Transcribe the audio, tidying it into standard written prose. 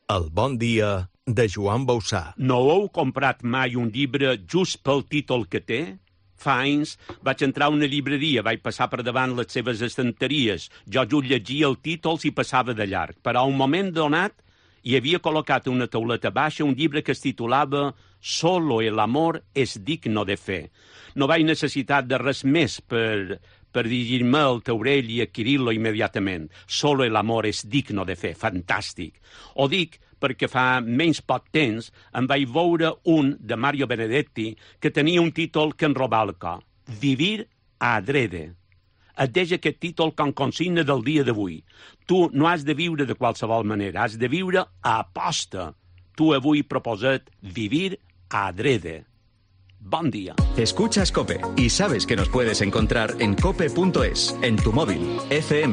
El bon dia de Joan Bausà. No heu comprat mai un llibre just pel títol que té? Fa anys vaig entrar a una llibreria, vaig passar per davant les seves estanteries. Jo just llegia el títol i passava de llarg. Però a un moment donat hi havia col·locat a una tauleta baixa un llibre que es titulava Solo el amor es digno de fe. No vaig necessitar de res més per dirigir-me al taulell i adquirir-lo immediatament. Solo el amor es digno de fe. Fantàstic. Ho dic perquè fa menys poc temps em vaig veure un de Mario Benedetti que tenia un títol que em robava el cor. Vivir adrede. Et deixa aquest títol com consigna del dia d'avui. Tu no has de viure de qualsevol manera, has de viure a aposta. Tu avui proposat vivir adrede. Bon día. Escuchas COPE y sabes que nos puedes encontrar en cope.es, en tu móvil, FM,